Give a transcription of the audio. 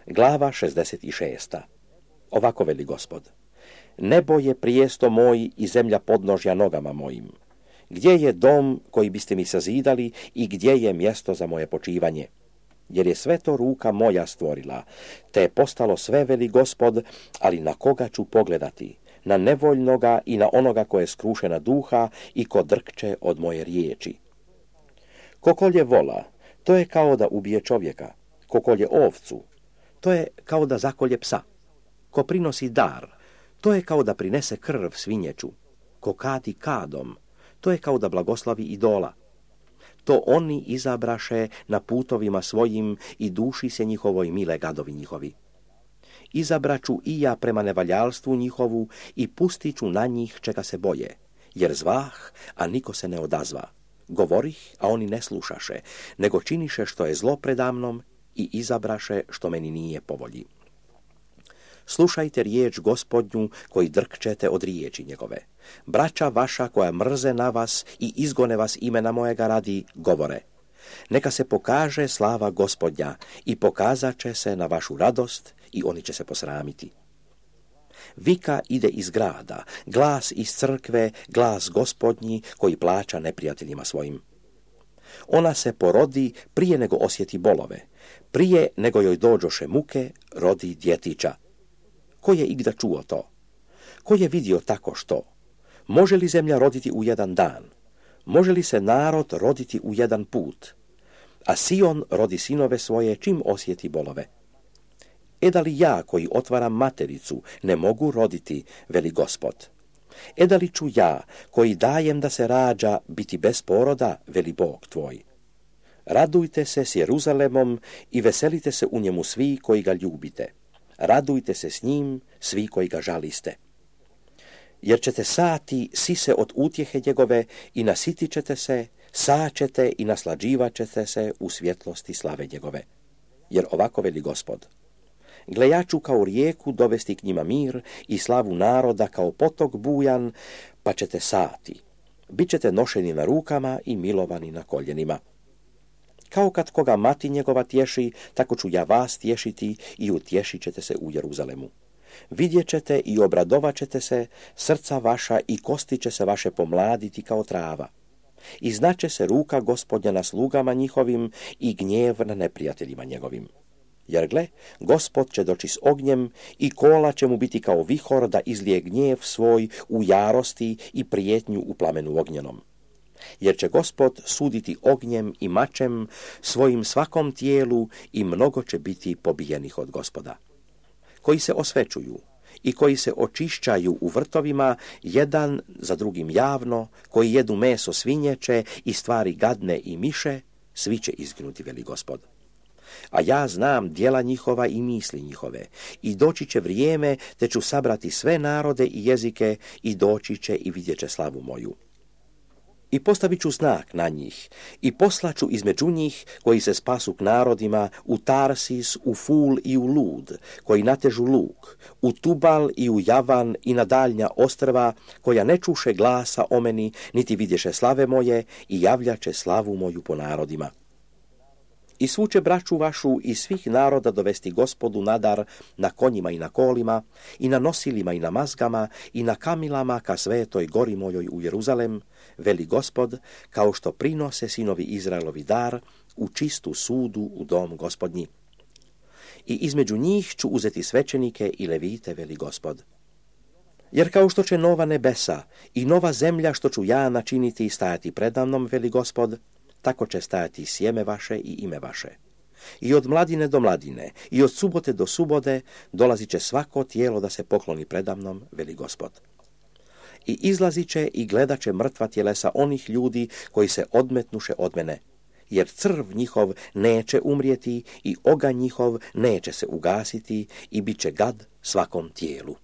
Glava 66. Ovako veli Gospod: Nebo je prijesto moj i zemlja podnožja nogama mojim. Gdje je dom koji biste mi sazidali i gdje je mjesto za moje počivanje? Jer je sve to ruka moja stvorila, te je postalo sve, veli Gospod, ali na koga ću pogledati? Na nevoljnoga i na onoga ko je skrušena duha i ko drkče od moje riječi. Ko kolje vola, to je kao da ubije čovjeka. Ko kolje ovcu, to je kao da zakolje psa. Ko prinosi dar, to je kao da prinese krv svinjeću. Ko kadi kadom, to je kao da blagoslavi idola. To oni izabraše na putovima svojim i duši se njihovoj mile gadovi njihovi. Izabraću i ja prema nevaljalstvu njihovu i pustit ću na njih čega se boje, jer zvah, a niko se ne odazva. Govorih, a oni ne slušaše, nego činiše što je zlo predamnom i izabraše što meni nije po volji. Slušajte riječ Gospodnju koji drkčete od riječi njegove. Braća vaša koja mrze na vas i izgone vas imena mojega radi, govore: Neka se pokaže slava Gospodnja i pokazat će se na vašu radost i oni će se posramiti. Vika ide iz grada, glas iz crkve, glas Gospodnji koji plaća neprijateljima svojim. Ona se porodi prije nego osjeti bolove, prije nego joj dođoše muke, rodi djetića. Ko je igda čuo to? Ko je vidio tako što? Može li zemlja roditi u jedan dan? Može li se narod roditi u jedan put? A Sion rodi sinove svoje čim osjeti bolove. Da li ja koji otvaram matericu ne mogu roditi, veli Gospod? Da li ću ja koji dajem da se rađa biti bez poroda, veli Bog tvoj? Radujte se s Jeruzalemom i veselite se u njemu svi koji ga ljubite. Radujte se s njim svi koji ga žaliste. Jer ćete sati sise od utjehe njegove i nasitit ćete se, saćete i naslađivat ćete se u svjetlosti slave njegove. Jer ovako veli Gospod: Gle, ja ću kao rijeku dovesti k njima mir i slavu naroda kao potok bujan, pa ćete sati. Bićete nošeni na rukama i milovani na koljenima. Kao kad koga mati njegova tješi, tako ću ja vas tješiti i utješit ćete se u Jeruzalemu. Vidjet ćete i obradovat ćete se, srca vaša i kosti će se vaše pomladiti kao trava. I znaće se ruka Gospodnja na slugama njihovim i gnjev na neprijateljima njegovim. Jer gle, Gospod će doći s ognjem i kola će mu biti kao vihor da izlije gnjev svoj u jarosti i prijetnju u plamenu ognjenom. Jer će Gospod suditi ognjem i mačem svojim svakom tijelu i mnogo će biti pobijenih od Gospoda. Koji se osvećuju i koji se očišćaju u vrtovima, jedan za drugim javno, koji jedu meso svinjeće i stvari gadne i miše, svi će izginuti, veli Gospod. A ja znam djela njihova i misli njihove, i doći će vrijeme, te ću sabrati sve narode i jezike, i doći će i vidjet će slavu moju. I postavit ću znak na njih, i poslaću između njih, koji se spasu k narodima, u Tarsis, u Ful i u Lud, koji natežu luk, u Tubal i u Javan i na daljnja ostrva, koja ne čuše glasa o meni, niti vidješe slave moje, i javljaće slavu moju po narodima. I svu će braću vašu iz svih naroda dovesti Gospodu nadar na konjima i na kolima, i na nosilima i na mazgama, i na kamilama ka svetoj gori mojoj u Jeruzalem, veli Gospod, kao što prinose sinovi Izraelovi dar u čistu sudu u dom Gospodnji. I između njih ću uzeti svećenike i levite, veli Gospod. Jer kao što će nova nebesa i nova zemlja što ću ja načiniti i stajati predamnom, veli Gospod, tako će stajati sjeme vaše i ime vaše. I od mladine do mladine, i od subote do subote dolazit će svako tijelo da se pokloni predamnom, veli Gospod. I izlazit će i gledat će mrtva tjelesa onih ljudi koji se odmetnuše od mene, jer crv njihov neće umrijeti i oganj njihov neće se ugasiti i bit će gad svakom tijelu.